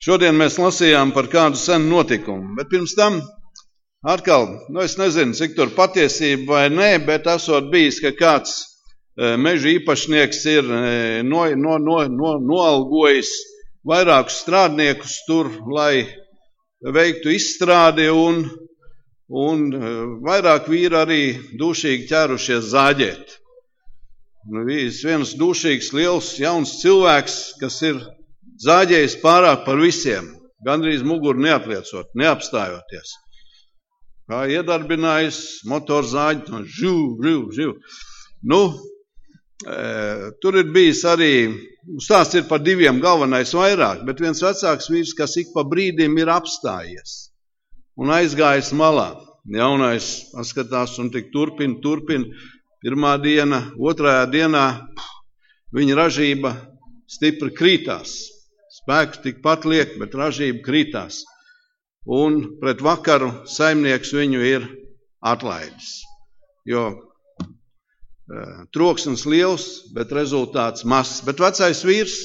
Šodien mēs lasījām par kādu senu notikumu, bet pirms tam atkal, es nezinu, cik tur patiesība vai nē, bet esot bijis, ka kāds meža īpašnieks ir noalgojis vairākus strādniekus tur, lai veiktu izstrādi, un vairāk vīri arī dūšīgi ķērušies zāģēt. Viens dūšīgs, liels, jauns cilvēks, kas ir zāģējis pārāk par visiem, gandrīz muguru neatliecot, neapstājoties. Kā iedarbinājis motorzāģi, živ. Tur ir bijis arī, stāsts ir par diviem, galvenais vairāk, bet viens vecāks vīrs, kas ik pa brīdim ir apstājies un aizgājis malā. Jaunais paskatās un tik turpina. Pirmā diena, otrajā dienā viņa ražība stipri krītās. Spēks tikpat liek, bet ražība krītās. Un pret vakaru saimnieks viņu ir atlaidis. Jo troksnis liels, bet rezultāts mazs. Bet vecais vīrs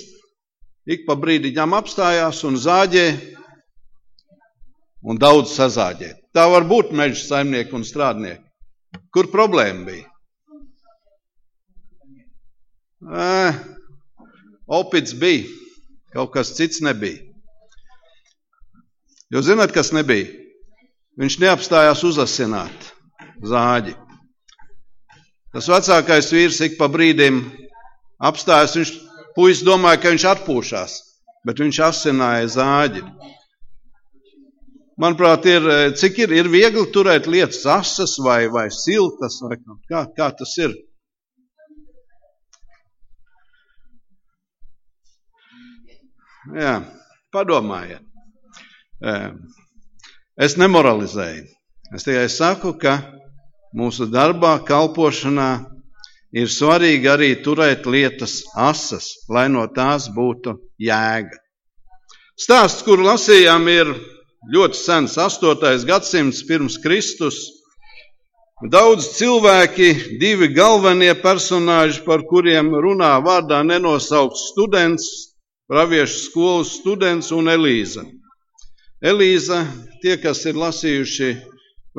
ik pa brīdiņām apstājās un zāģē un daudz sazāģē. Tā var būt meža saimnieki un strādnieki. Kur problēma bija? Opits bija, kaut kas cits nebija. Jo zināt, kas nebija? Viņš neapstājās uzasināt zāģi. Tas vecākais vīrs ik pa brīdim apstājas, puisis domāja, ka viņš atpūšās, bet viņš asināja zāģi. Manuprāt, cik ir viegli turēt lietas asas vai siltas, vai kā tas ir? Jā, padomājiet. Es nemoralizēju. Es tikai saku, ka mūsu darbā, kalpošanā ir svarīgi arī turēt lietas asas, lai no tās būtu jēga. Stāsts, kuru lasījām, ir ļoti sens, 8. gadsimts pirms Kristus. Daudz cilvēki, divi galvenie personāži, par kuriem runā vārdā nenosaukts students, praviešu skolas students un Elīza. Elīza, tie, kas ir lasījuši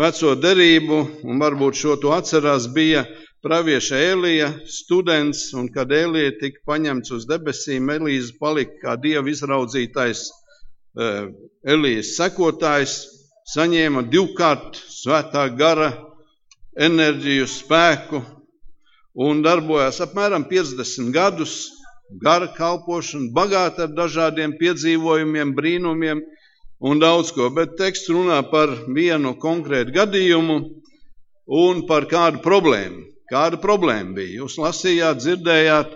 veco derību, un varbūt šo to atcerās, bija pravieša Elija students, un kad Elija tika paņemts uz debesīm, Elīza palika kā Dieva izraudzītais Elijas sekotājs, saņēma 2-kārt svētā gara enerģiju, spēku un darbojās apmēram 50 gadus, gara kalpošana, bagāta ar dažādiem piedzīvojumiem, brīnumiem un daudz ko, bet teksts runā par vienu konkrētu gadījumu un par kādu problēmu. Kāda problēma bija? Jūs lasījāt, dzirdējāt,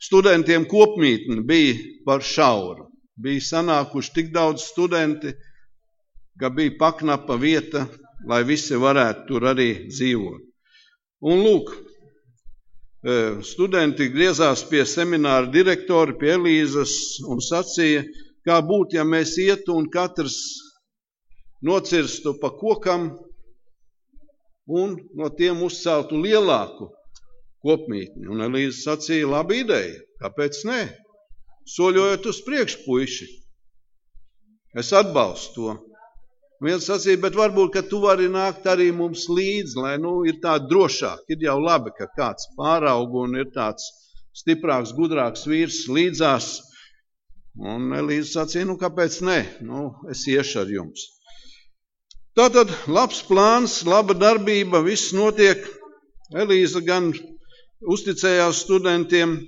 studentiem kopmītne bija par šauru. Bija sanākuši tik daudz studenti, ka bija paknapa vieta, lai visi varētu tur arī dzīvot. Un lūk, studenti griezās pie semināra direktora, pie Elīzas un sacīja, kā būtu, ja mēs ietu un katrs nocirstu pa kokam un no tiem uzceltu lielāku kopmītni. Un Elīza sacīja, laba ideja, kāpēc nē? Soļojot uz priekšu, puiši. Es atbalstu to. Viens sacīja, bet varbūt, ka tu vari nākt arī mums līdzi, lai ir tā drošāk. Ir jau labi, ka kāds pāraug un ir tāds stiprāks, gudrāks vīrs līdzās. Un Elīza sacīja, kāpēc ne? Es iešu ar jums. Tātad labs plāns, laba darbība, viss notiek. Elīza gan uzticējās studentiem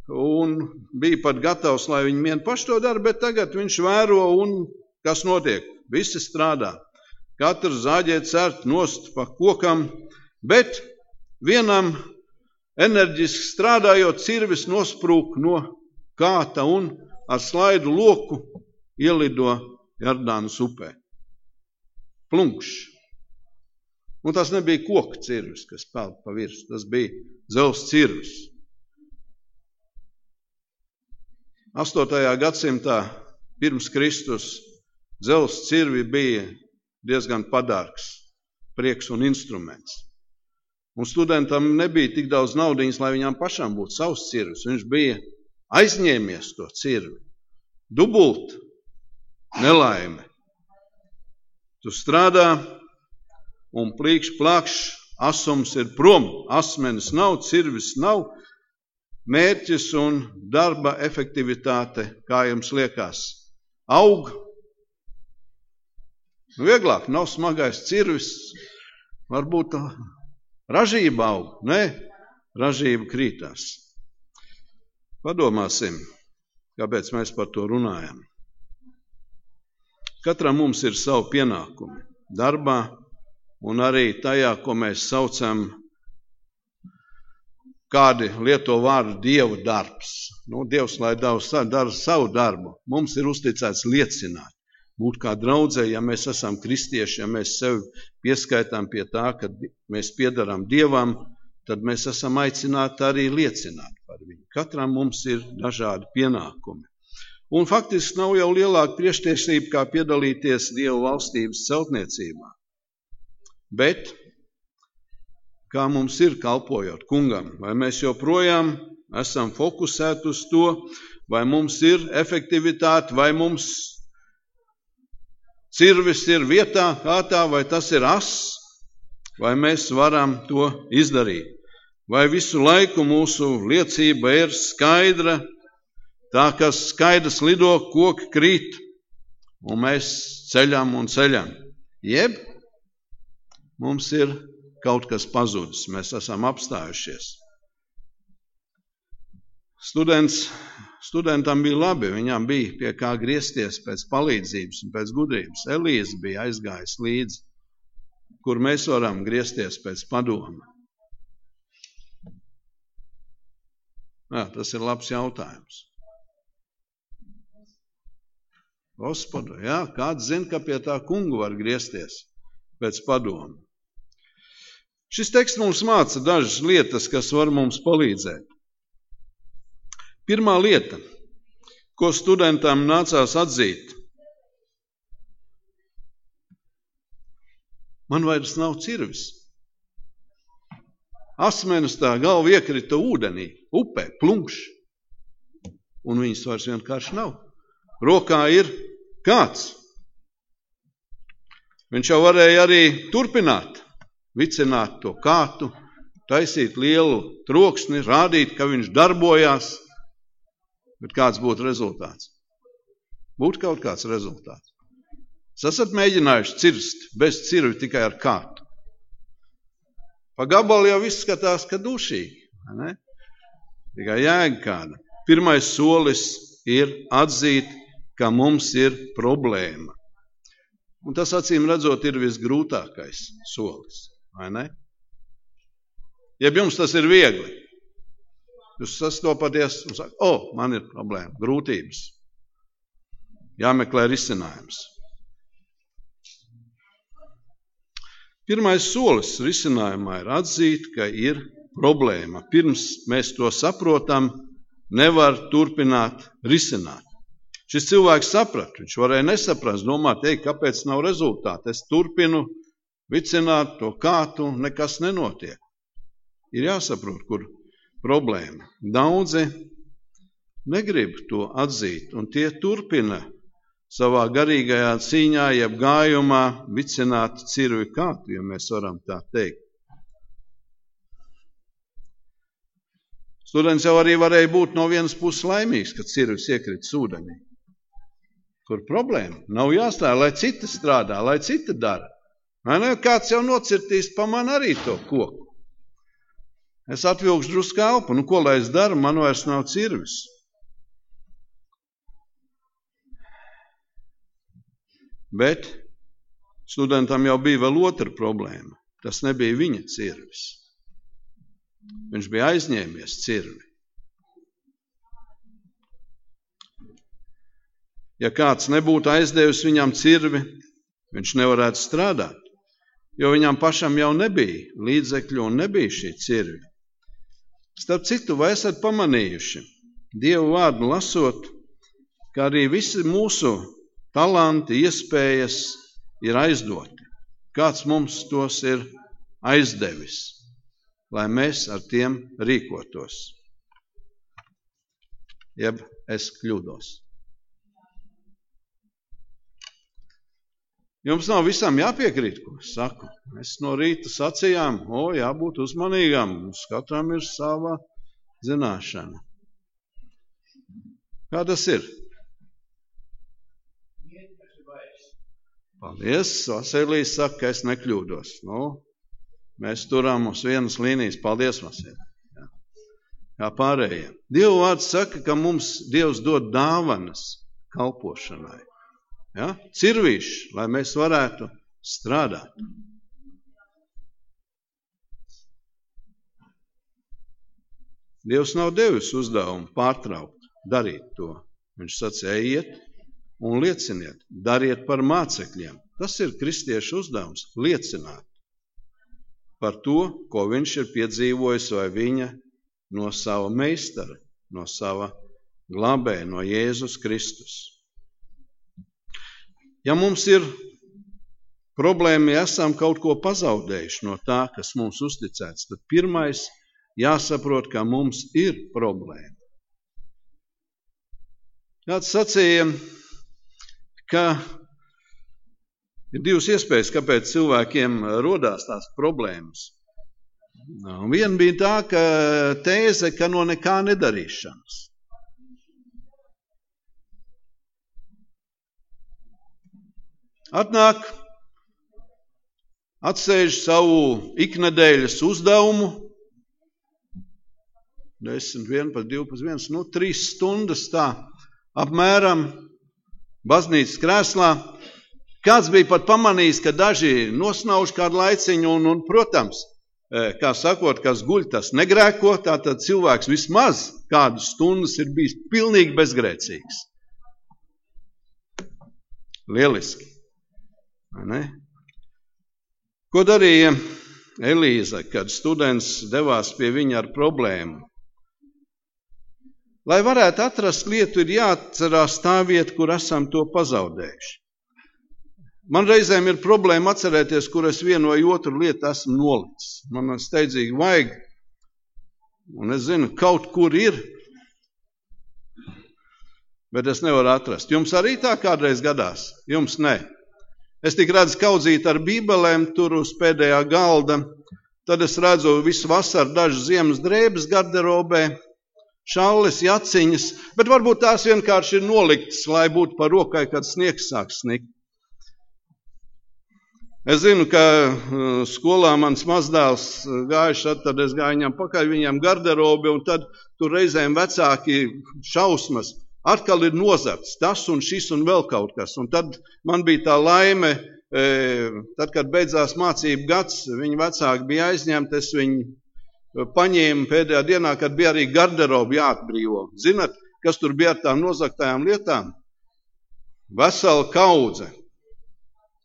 un bija pat gatavs, lai viņi vien paši to dara, bet tagad viņš vēro un kas notiek? Visi strādā. Katrs zāģē cert nost pa kokam, bet vienam enerģiski strādājot cirvis nosprūk no kāta un ar slaidu loku ielido Jordānas upē. Plunkšs. Un tas nebija koka cirvis, kas peld pa virsmu, tas bija dzelzs cirvis. 8. gadsimtā pirms Kristus dzelzs cirvi bija diezgan padārgs prieks un instruments. Un studentam nebija tik daudz naudiņas, lai viņām pašām būtu savs cirvis. Viņš bija aizņēmies to cirvi. Dubult nelaime. Tu strādā un plīkšķi plakš, asums ir prom, asmenis nav, cirvis nav, mērķis un darba efektivitāte, kā jums liekas, aug. Vieglāk, nav smagais cirvis, varbūt ražība aug, ne, ražība krītās. Padomāsim, kāpēc mēs par to runājam. Katram mums ir savi pienākumi darbā un arī tajā, ko mēs saucam, kādi lieto vārdu Dievu darbs. Dievs, lai dara savu darbu, mums ir uzticēts liecināt. Būt kā draudzē, ja mēs esam kristieši, ja mēs sevi pieskaitām pie tā, ka mēs piedarām Dievam, tad mēs esam aicināti arī liecināt par viņu. Katram mums ir dažādi pienākumi. Un faktiski nav jau lielāka priekštiesība, kā piedalīties Dieva valstības celtniecībā. Bet, kā mums ir kalpojot kungam, vai mēs joprojām esam fokusēti uz to, vai mums ir efektivitāte, vai mums cirvis ir vietā, kārtā, vai tas ir ass, vai mēs varam to izdarīt. Vai visu laiku mūsu liecība ir skaidra, tā kā skaidrs lido, koki krīt, un mēs ceļam un ceļam. Jeb mums ir kaut kas pazudis, mēs esam apstājušies. Studentam bija labi, viņam bija pie kā griezties pēc palīdzības un pēc gudrības. Elīze bija aizgājis līdzi, kur mēs varam griezties pēc padoma. Tas ir labs jautājums. Gospodu, kāds zina, ka pie tā kungu var griezties pēc padoma. Šis teksts mums māca dažas lietas, kas var mums palīdzēt. Pirmā lieta, ko studentam nācās atzīt. Man vairs nav cirvis. Asmenis tā galva iekrita ūdenī, upē, plunkš. Un viņas vairs vienkārši nav. Rokā ir kāds. Viņš jau varēja arī turpināt, vicināt to kātu, taisīt lielu troksni, rādīt, ka viņš darbojās. Bet kāds būtu rezultāts? Būtu kaut kāds rezultāts. Jūs esat mēģinājuši cirst bez cirvi tikai ar kātu. Pa gabalu jau viss skatās, ka dušīgi. Ne? Tikai jēga kāda. Pirmais solis ir atzīt, ka mums ir problēma. Un tas, acīm redzot, ir visgrūtākais solis. Vai ne? Jeb jums tas ir viegli. Jūs sastopaties un saka, man ir problēma, grūtības. Jāmeklē risinājums. Pirmais solis risinājumā ir atzīt, ka ir problēma. Pirms mēs to saprotam, nevar turpināt risināt. Šis cilvēks saprata, viņš varēja nesaprast, domāt, kāpēc nav rezultāti. Es turpinu vicināt to kātu, nekas nenotiek. Ir jāsaprot, kur problēma. Daudzi negrib to atzīt, un tie turpina savā garīgajā cīņā, jeb gājumā vicināt cirvi kātu, ja mēs varam tā teikt. Students jau arī varēja būt no vienas puses laimīgs, kad cirvis iekrits ūdenī. Kur problēma? Nav jāstāj, lai citi strādā, lai citi dara. Vai ne? Kāds jau nocirtīs pa man arī to koku. Es atvilkšu drusku elpu, ko lai es daru, man vairs nav cirvis. Bet studentam jau bija vēl otra problēma. Tas nebija viņa cirvis. Viņš bija aizņēmies cirvi. Ja kāds nebūtu aizdevis viņam cirvi, viņš nevarētu strādāt, jo viņam pašam jau nebija līdzekļu un nebija šī cirvi. Starp citu, vai esat pamanījuši, Dievu vārdu lasot, ka arī visi mūsu talanti, iespējas ir aizdoti. Kāds mums tos ir aizdevis, lai mēs ar tiem rīkotos. Jeb es kļūdos. Jums nav visam jāpiekrīt, ko es saku. Mēs no rīta sacījām, jābūt uzmanīgām, mums katram ir sava zināšana. Kā tas ir? Paldies, Vasilijs saka, ka es nekļūdos. Mēs turām uz vienas līnijas. Paldies, Vasilij. Kā pārējie. Dieva vārds saka, ka mums Dievs dod dāvanas kalpošanai. Cirvīši, lai mēs varētu strādāt. Dievs nav devis uzdevumu pārtraukt, darīt to. Viņš sacīja, ejiet un lieciniet, dariet par mācekļiem. Tas ir kristiešu uzdevums, liecināt par to, ko viņš ir piedzīvojis vai viņa no sava meistara, no sava glābēja, no Jēzus Kristus. Ja mums ir problēma, ja esam kaut ko pazaudējuši no tā, kas mums uzticēts, tad pirmais jāsaprot, ka mums ir problēma. Kāds sacīja, ka ir divas iespējas, kāpēc cilvēkiem rodās tās problēmas. Viena bija tā, ka tēze, ka no nekā nedarīšanas. Atnāk, atsēž savu iknedēļas uzdevumu, 10, 11, 12, 3 stundas tā, apmēram baznīcas krēslā. Kāds bija pat pamanījis, ka daži nosnauž kādu laiciņu un, protams, kā sakot, kas guļ, tas negrēko, tātad cilvēks vismaz kādas stundas ir bijis pilnīgi bezgrēcīgs. Lieliski. Ne? Ko darīja Elīza, kad students devās pie viņa ar problēmu? Lai varētu atrast lietu, ir jāatcerās tā vieta, kur esam to pazaudējuši. Man reizēm ir problēma atcerēties, kur es vienu vai otru lietu esmu nolicis. Man steidzīgi vajag, un es zinu, kaut kur ir, bet es nevaru atrast. Jums arī tā kādreiz gadās? Jums ne. Es tik redzu kaudzīt ar bībelēm tur uz pēdējā galda, tad es redzu visu vasaru dažas ziemas drēbes garderobē, šalles, jaciņas, bet varbūt tās vienkārši ir noliktas, lai būtu par rokai, kad sniegs sāk snikt. Es zinu, ka skolā mans mazdēls gājuši, tad es gāju viņam pakaļ viņam garderobi, un tad tur reizēm vecāki šausmas. Atkal ir nozarts tas un šis un vēl kaut kas. Un tad man bija tā laime, tad, kad beidzās mācību gads, viņa vecāki bija aizņemti, es viņu paņēmu pēdējā dienā, kad bija arī garderobi jāatbrīvo. Zinat, kas tur bija ar tām nozagtajām lietām? Vesela kaudze.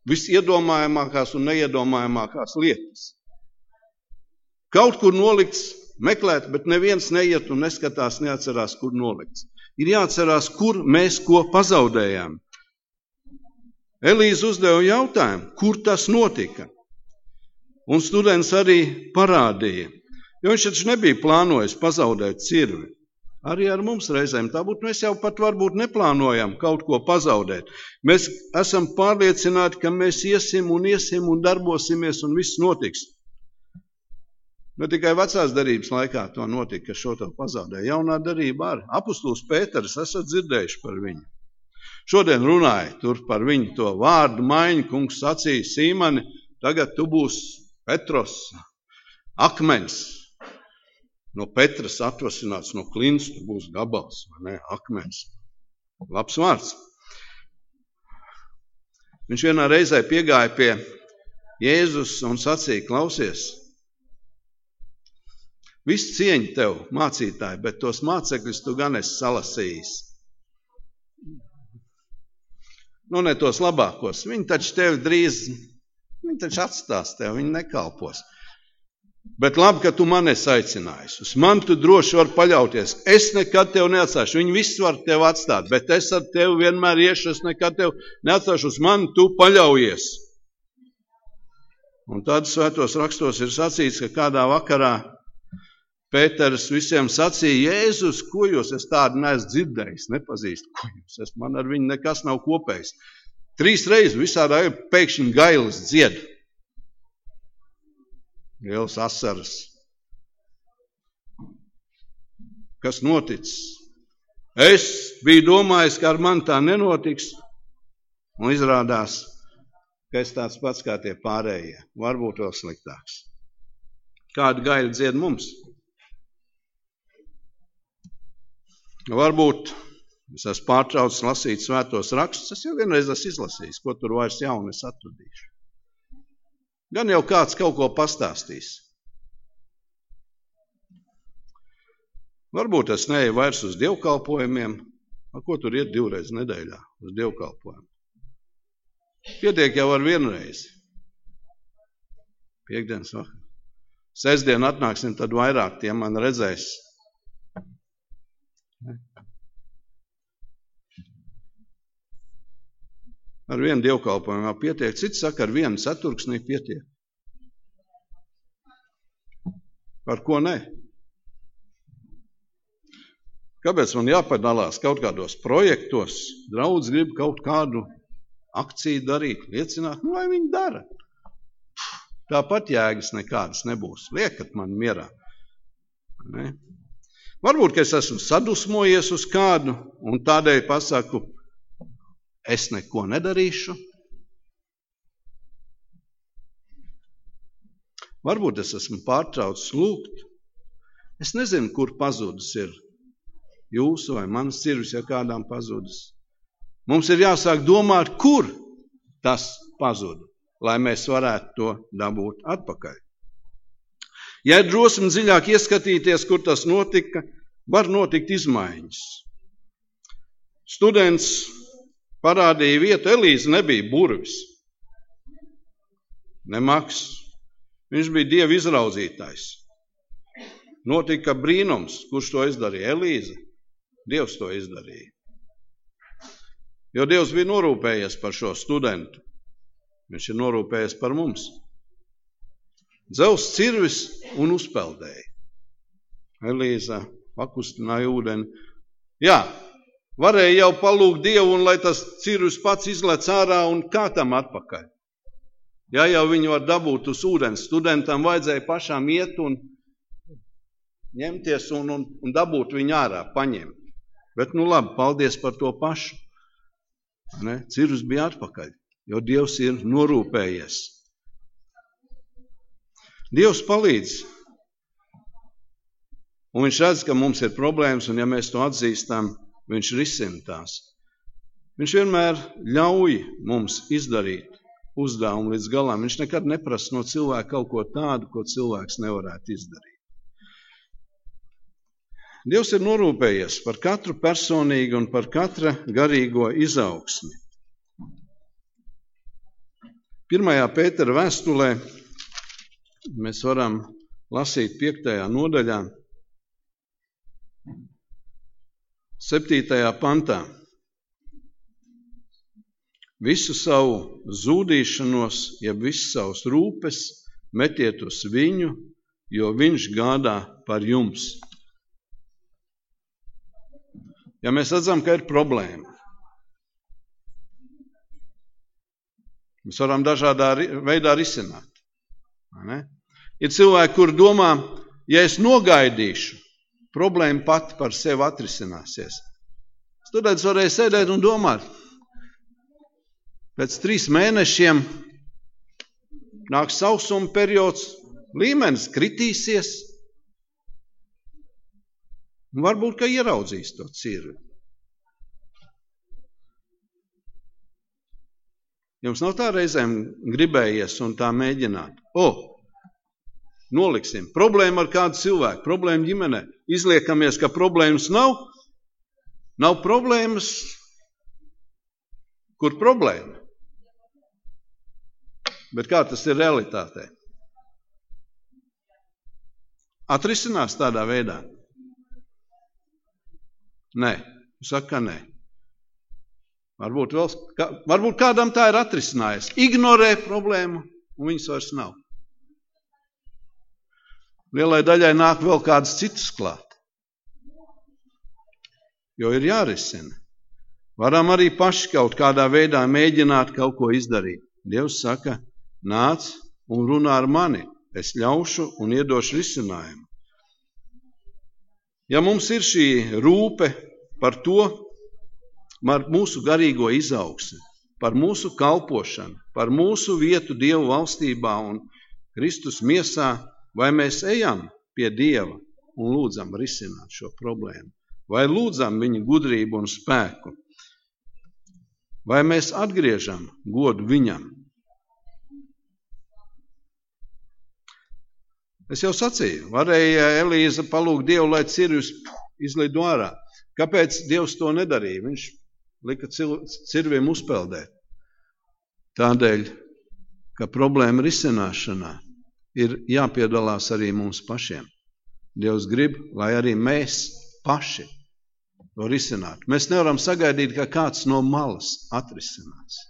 Visiedomājamākās un neiedomājamākās lietas. Kaut kur nolikts, meklēt, bet neviens neiet un neskatās, neatcerās, kur nolikts. Ir jāatcerās, kur mēs ko pazaudējām. Elīza uzdeva jautājumu, kur tas notika. Un students arī parādīja, jo viņš taču nebija plānojis pazaudēt cirvi. Arī ar mums reizēm tā būtu, mēs jau pat varbūt neplānojam kaut ko pazaudēt. Mēs esam pārliecināti, ka mēs iesim un darbosimies un viss notiks. Ne tikai vecās darības laikā to notika, ka šo to pazaudēja. Jaunā darība arī. Apostols Pēters, esat dzirdējuši par viņu. Šodien runāja tur par viņu to vārdu maiņu, kungs sacīja Sīmani, tagad tu būsi Petros, akmens. No Petras atvasināts, no klints, tu būsi gabals, vai ne, akmens. Labs vārds. Viņš vienā reizē piegāja pie Jēzus un sacīja, klausies, viss cieņa tev, mācītāji, bet tos mācekļus tu gan esi salasījis. Nu, ne tos labākos. Viņi taču tevi drīz, viņi taču atstās tev, viņi nekalpos. Bet labi, ka tu man esi aicinājis. Uz mani tu droši var paļauties. Es nekad tev neatstāšu. Viņi visi var tev atstāt, bet es ar tevi vienmēr iešu, es nekad tev neatstāšu. Uz mani tu paļaujies. Un tad svētos rakstos ir sacīts, ka kādā vakarā Pēters visiem sacīja, Jēzus, ko jūs, es tādu neesmu dzirdējis, nepazīstu, ko jūs, man ar viņu nekas nav kopējis. 3 reizes visādā pēkšņi gailis dzied. Lielas asaras. Kas noticis? Es biju domājis, ka ar mani tā nenotiks, un izrādās, ka es tāds pats kā tie pārējie, varbūt vēl sliktāks. Kādu gaļu dzied mums? Varbūt es esmu pārtraucis lasīt svētos rakstus, es jau vienreiz esmu izlasījis, ko tur vairs jaunu es atradīšu. Gan jau kāds kaut ko pastāstīs. Varbūt es neeju vairs uz dievkalpojumiem, ko tur iet 2 reizes nedēļā uz dievkalpojumu. Pietiek jau ar 1 reizi. Piektdienas vakar. Sestdien atnāksim, tad vairāk tie man redzēs. Ar 1 dievkalpojumu pietiek, cits saka, ar 1 ceturksnī pietiek. Par ko ne? Kāpēc man jāpadalās kaut kādos projektos? Draudz grib kaut kādu akciju darīt, liecināt, lai viņi dara. Tāpat jēgas nekādas nebūs. Liekat man mierā. Ne? Varbūt, ka es esmu sadusmojies uz kādu un tādēļ pasaku, es neko nedarīšu. Varbūt es esmu pārtraucis lūgt. Es nezinu, kur pazudis ir jūsu vai manas cirvis, ja kādām pazudis. Mums ir jāsāk domāt, kur tas pazuda, lai mēs varētu to dabūt atpakaļ. Ja ir drosme dziļāk ieskatīties, kur tas notika, var notikt izmaiņas. Students parādīja vietu, Elīze nebija burvis, ne Maks. Viņš bija Dieva izraudzītājs. Notika brīnums, kurš to izdarīja? Elīze. Dievs to izdarīja. Jo Dievs bija norūpējies par šo studentu. Viņš ir norūpējies par mums. Dzels cirvis un uzpeldēja. Elīza pakustināja ūdeni. Jā, varēja jau palūgt Dievu, un lai tas cirvis pats izlec ārā un kā tam atpakaļ. Ja jau viņu var dabūt uz ūdens, studentam vajadzēja pašām iet un ņemties un dabūt viņu ārā, paņemt. Bet nu labi, paldies par to pašu. Ne? Cirvis bija atpakaļ, jo Dievs ir norūpējies. Dievs palīdz. Un viņš redz, ka mums ir problēmas, un ja mēs to atzīstam, viņš risina tās. Viņš vienmēr ļauj mums izdarīt uzdevumu līdz galam. Viņš nekad neprasa no cilvēka kaut ko tādu, ko cilvēks nevarētu izdarīt. Dievs ir norūpējies par katru personīgu un par katra garīgo izaugsmi. 1. Pētera vēstulē mēs varam lasīt 5. nodaļā, 7. pantā. Visu savu zūdīšanos, jeb visu savus rūpes metiet uz viņu, jo viņš gādā par jums. Ja mēs redzam, ka ir problēma, mēs varam dažādā veidā risināt. Ne? Ir cilvēki, kur domā, ja es nogaidīšu, problēma pati par sevi atrisināsies. Students varēja sēdēt un domāt, pēc 3 mēnešiem nāk sausuma periods, līmenis kritīsies. Un varbūt, ka ieraudzīs to cirvi. Jums nav tā reizēm gribējies un tā mēģināt. Noliksim. Problēma ar kādu cilvēku, problēma ģimenē. Izliekamies, ka problēmas nav. Nav problēmas. Kur problēma? Bet kā tas ir realitātē? Atrisinās tādā veidā? Nē, saka nē. Varbūt kādam tā ir atrisinājies. Ignorē problēmu, un viņas vairs nav. Lielai daļai nāk vēl kādas citas klāt. Jo ir jārisina. Varam arī paši kaut kādā veidā mēģināt kaut ko izdarīt. Dievs saka, nāc un runā ar mani, es ļaušu un iedošu risinājumu. Ja mums ir šī rūpe par to, par mūsu garīgo izaugsmi, par mūsu kalpošanu, par mūsu vietu Dievu valstībā un Kristus miesā, vai mēs ejam pie Dieva un lūdzam risināt šo problēmu, vai lūdzam viņa gudrību un spēku, vai mēs atgriežam godu viņam. Es jau sacīju, varēja Elīza palūgt Dievu, lai cirvis izlido ārā. Kāpēc Dievs to nedarīja? Viņš lika cirviem uzpeldēt. Tādēļ, ka problēma risināšanā ir jāpiedalās arī mums pašiem. Dievs grib, lai arī mēs paši to risinātu. Mēs nevaram sagaidīt, ka kāds no malas atrisinās.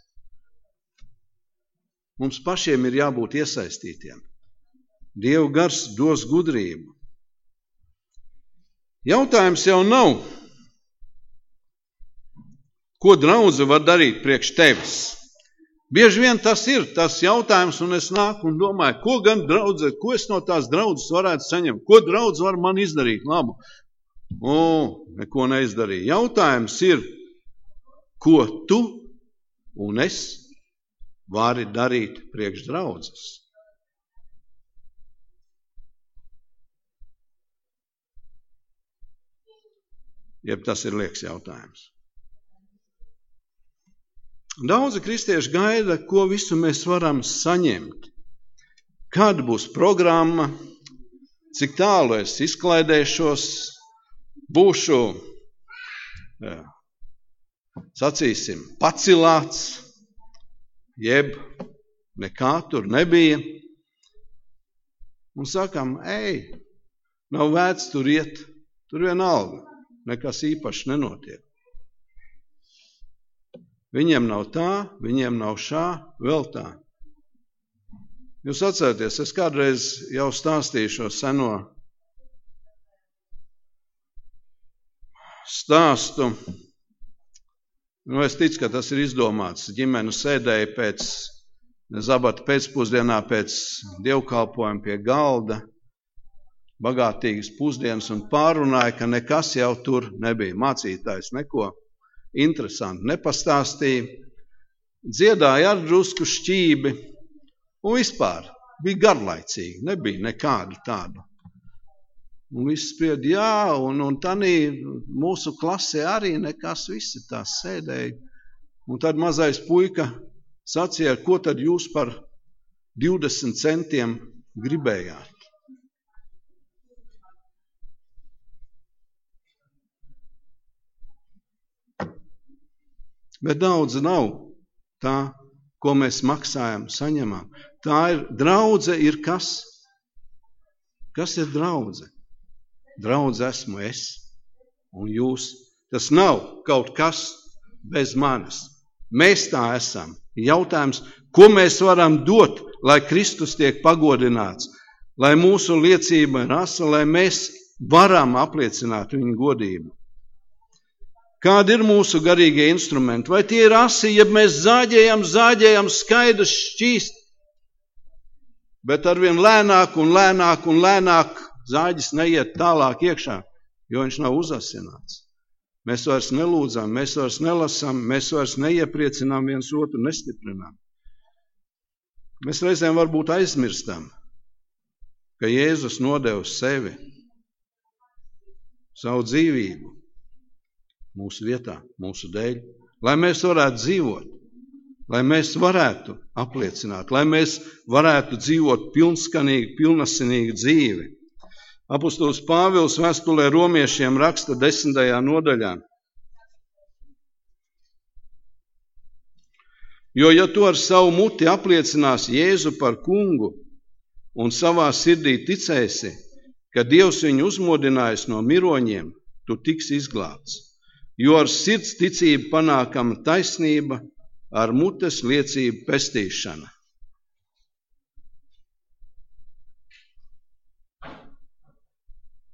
Mums pašiem ir jābūt iesaistītiem. Dievu gars dos gudrību. Jautājums jau nav, ko draudze var darīt priekš tevis. Bieži vien tas ir tas jautājums, un es nāku un domāju, ko gan draudze, ko es no tās draudzes varētu saņemt, ko draudze var man izdarīt labu. Neko neizdarīja. Jautājums ir, ko tu un es vari darīt priekš draudzes. Jeb tas ir liekas jautājums. Daudzi kristieši gaida, ko visu mēs varam saņemt. Kāda būs programma, cik tālu es izklaidēšos, būšu, sacīsim, pacilāts, jeb nekā tur nebija. Un sakam, nav vērts tur iet, tur vienalga. Nekas īpaši nenotiek. Viņiem nav tā, viņiem nav šā, vēl tā. Jūs atcerieties, es kādreiz jau stāstīju šo seno stāstu. Es ticu, ka tas ir izdomāts. Ģimene sēdēja pēc zabata pēcpusdienā pēc dievkalpojuma pie galda, bagātīgas pusdienas un pārunāja, ka nekas jau tur nebija. Mācītājs neko interesanti nepastāstīja, dziedāja ar drusku šķībi un vispār bija garlaicīgi, nebija nekādu tādu. Un viss spried, un tanī mūsu klasē arī nekas, visi tās sēdēja. Un tad mazais puika sacīja, ko tad jūs par 20 centiem gribējāt? Bet daudz nav tā, ko mēs maksājam, saņemam. Tā ir, draudze ir kas? Kas ir draudze? Draudze esmu es un jūs. Tas nav kaut kas bez manis. Mēs tā esam. Jautājums, ko mēs varam dot, lai Kristus tiek pagodināts, lai mūsu liecība ir asa, lai mēs varam apliecināt viņa godību. Kādi ir mūsu garīgie instrumenti? Vai tie ir asi, ja mēs zāģējam skaidrs šķīst, bet arvien lēnāk un lēnāk un lēnāk zāģis neiet tālāk iekšā, jo viņš nav uzasināts. Mēs vairs nelūdzam, mēs vairs nelasam, mēs vairs neiepriecinām viens otru, nestiprinām. Mēs reizēm varbūt aizmirstam, ka Jēzus nodeva sevi, savu dzīvību, mūsu vietā, mūsu dēļ, lai mēs varētu dzīvot, lai mēs varētu apliecināt, lai mēs varētu dzīvot pilnskanīgu, pilnasinīgu dzīvi. Apostols Pāvils vēstulē romiešiem raksta 10. nodaļā. Jo, ja tu ar savu muti apliecinās Jēzu par kungu un savā sirdī ticēsi, ka Dievs viņu uzmodinājis no miroņiem, tu tiksi izglābts. Jo ar sirds ticību panākama taisnība, ar mutes liecību pestīšana.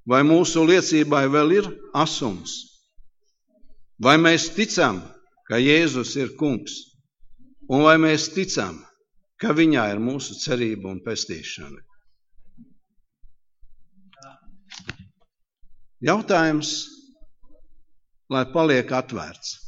Vai mūsu liecībai vēl ir asums? Vai mēs ticam, ka Jēzus ir kungs, un vai mēs ticam, ka viņā ir mūsu cerība un pestīšana. Jautājums, lai paliek atvērts.